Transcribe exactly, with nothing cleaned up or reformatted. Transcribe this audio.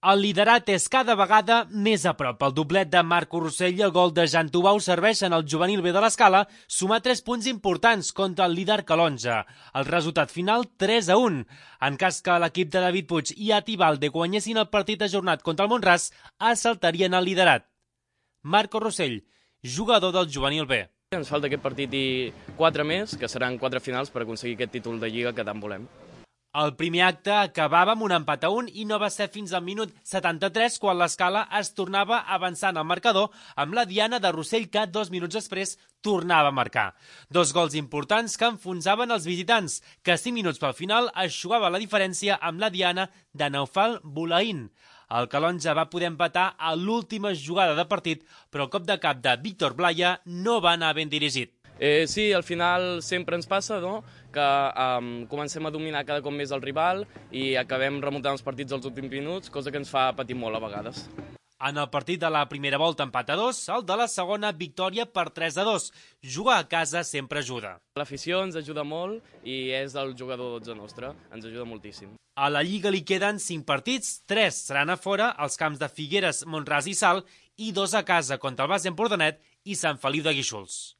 El liderat és cada vegada més a prop. El doblet de Marco Rossell i el gol de Jan Tubau serveixen al juvenil B de l'Escala sumar tres punts importants contra el líder Calonja. El resultat final tres a un. En cas que l'equip de David Puig i Atibalde guanyessin el partit ajornat contra el Mont-ras, assaltarien el liderat. Marco Rossell, jugador del juvenil B. Ens falta aquest partit i quatre més, que seran quatre finals per aconseguir aquest títol de Lliga que tant volem. El primer acte acabava amb un empat a un i no va ser fins al minut setanta-tres quan l'Escala es tornava avançant al marcador amb la diana de Rossell que dos minuts després tornava a marcar. Dos gols importants que enfonsaven els visitants, que cinc minuts pel final eixugava la diferència amb la diana de Naufal Boulaïn. El Calonja va poder empatar a l'última jugada de partit, però el cop de cap de Víctor Blaya no va anar ben dirigit. Eh, sí, al final sempre ens passa, no?, que um, comencem a dominar cada cop més el rival i acabem remuntant els partits als últims minuts, cosa que ens fa patir molt a vegades. En el partit de la primera volta empat a dos, el de la segona victòria per tres a dos. Jugar a casa sempre ajuda. L'afició ens ajuda molt i és el jugador dotze nostre, ens ajuda moltíssim. A la Lliga li queden cinc partits, tres seran a fora, als camps de Figueres, Mont-ras i Salt, i dos a casa contra el Base Empordanet i Sant Feliu de Guíxols.